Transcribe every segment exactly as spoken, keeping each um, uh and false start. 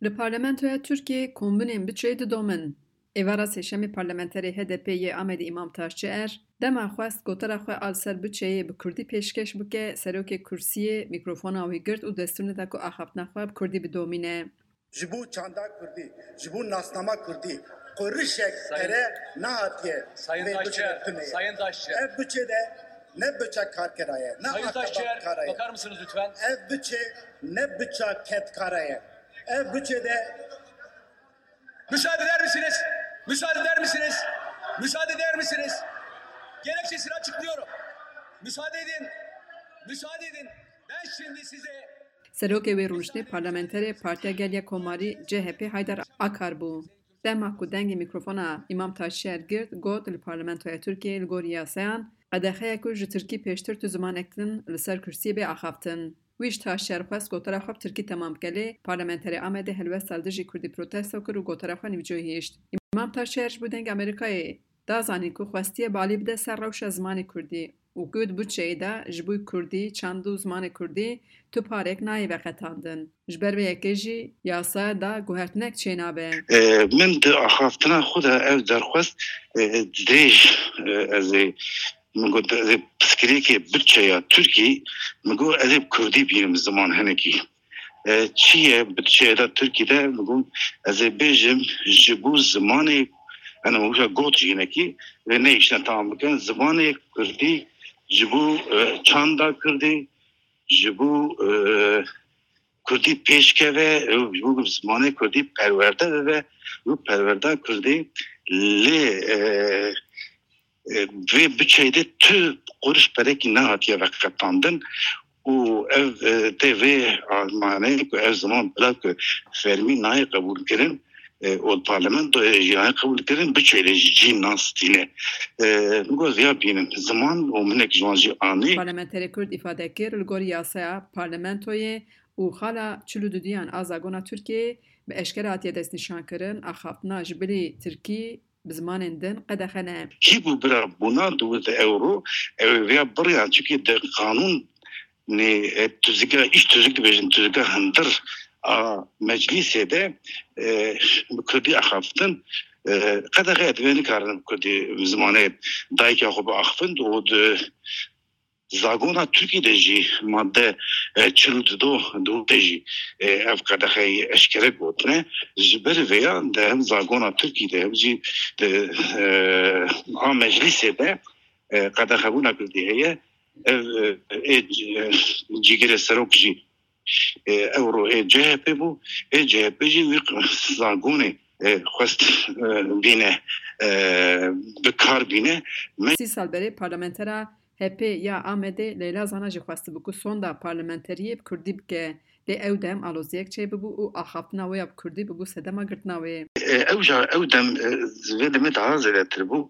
Li Parlamentoya Tirkiyê kombûnên biçeyê didomin. Êvara Sêşemê parlamenterê H D P yê Amedê Îmam Taşçi Er dema xwest gotara xwe a li ser biçeyê bi kurdî pêşkeş bike, serokê kursiyê mîkrofona wî girt û destûr neda ku axaftina xwe bi kurdî bidomîne. Ji bo çanda kurdî, ji bo nasnama kurdî qurişek Sayın pere nehatiye Sayın vê Taşçı biçe Er, tuneye. Sayın Taşçı Er. Ev biçe de ne biça karkera ye, ne Sayın Taşçı Er, bakar mısınız lütfen? Ev biçe ne biça kedkara ye. Ev biçe de Müsaade eder misiniz? Müsaade eder misiniz? Müsaade eder misiniz? Gerekçesini açıklıyorum. Müsaade edin. Müsaade edin. Ben şimdi size Serokê wê rûniştê parlamenterê Partiya Gel ya Komarî C H P Haydar Akar bû. Dema ku dengê mîkrofona Îmam Taşçi Er girt, got, li Parlamentoya Tirkiyê li gor yasayan qedexeya ku ji tirkî pêştir tu zimanek din li ser kursiyê bê axaftin. Wî ji Taşçi Er xwest gotara xwe bi tirkî temam bike, lê parlamenterê Amedê helwesta li dijî kurdî protesto kir û gotara xwe nîvcoyî hişt. Îmam Taşçi Er ji bo Dengê Amerîkayê da zanîn ku xwestiye balî bide ser rewşa zimanê kurdî û ku di biçeyê de ji bo kurdî, çand û zimanê kurdî tu parek nayê veqetandin. Ji ber vê yekê jî yasaya da guhertinek çênabe. E, min di axaftina xwe de ev derxwest, e, dirêj, e, ez ê, min got, ez ê pirsgirêkê biçeya Tirkî, min got, ez ê bi kurdî bînim ziman hinekî. E, çi ye biçeya da Tirkî de? Min got, ez ê bêjim, ji bo zimanê, yani, wisa got jî hinekî, vê nehiştine tamam bikin, zimanê kurdî ji bo, e, çanda kurdî, ji bo, e, kurdî pêşkeve, û ji bo zimanê kurdî perwerde bibe, û perwerda kurdî lê, e, e, vê biçeyê de tu quruş perekî nehatiye veqetandin û ev, e, tê vê armanê ku ev ziman bila ku fermî nayê qebûlkirin, e, û parlamentoyê jî nayê qebûlkirin, biçeyê jî nastîne. E, min got, viya bînin ziman û minek ji wan jî anî. Parlamenterê Kurd îfade kir, li gor yasaya parlamentoyê û xala çil û dudiyan a zagona Tirkiyeyê bi eşkere hatiye destnîşankirin, axaftina ji bilî tirkî bi zimanên din qedexe ne. Kî bû bira bûna diwit ewro, ew ê vêya biriyan, çikî di qanûn nê, e, tuzika, îş tuzik dibêjin, tuzika hundir a meclîsê de, e, bi kurdî axaftin, e, qedexe ye, divê nikarin bi kurdî, bi zimanê dayika xwe biaxifin û di zagona Tirkî de jî madde, e, çil û du diwite jî, e, ev qedexeyê eşkere gotine. Ji ber vêya di hem zagona Tirkî de hem jî di, e, a meclîsê de, e, qedexebûna kurdî heye. Ev, e, ê, e, cîgirê serok jî, e, ewro ê C H P bû. Ê C H P jî wî zagonê, e, xwest, e, bîne, e, bi kar bîne. Me- Sî sal berê parlamentera H P ya Amedê Leyla Zana jî xwestibû ku sonda parlamenteriyê bi kurdî bike. Lê ew dem aloziyek çêbibû û axaftina wê ya bi kurdî bibû sedema girtina wê. E, ew ja, ew dem, e, vê demê daha zêdetir bû.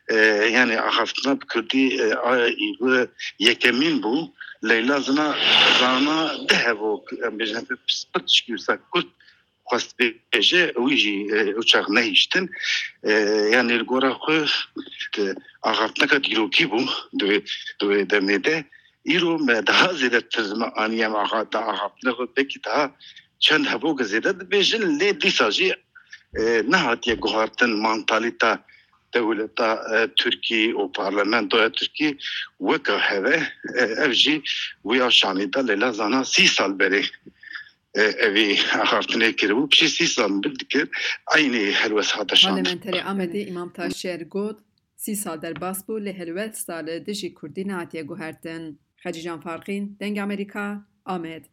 E, yani axaftina bi kurdî, e, a, î, bi yekemîn bû. Leyla Zina, Zana di hevok, em bêjin, pirsgirêk wisa kurt xwest bêje, wî jî, e, ew çax nehiştin. E, yani li gora xwe, e, axaftineka dîrokî bû di wê, di wê demê de. Îro me daha zêdetir me aniye me axa-, da axaftina xwe belkî daha çend hevok zêde dibêjin, lê dîsa jî, e, nehatiye guhartin mantalîta dewleta, e, Tirkî û parlamentoya Tirkî weka heve, e, ev jî wî aşanî da Leyla Zana sî sal berê, e, evî axaftinê kiribû, piştî sî sal min dikir eynî helwest hate şandin. Parlamenterê Amedê Îmam Taşçi Er got, sî sal derbas bû, lê helwesta li dijî kurdî nehatiye guhertin. Xecîcan Farqîn, Dengê Amerîka, Amed.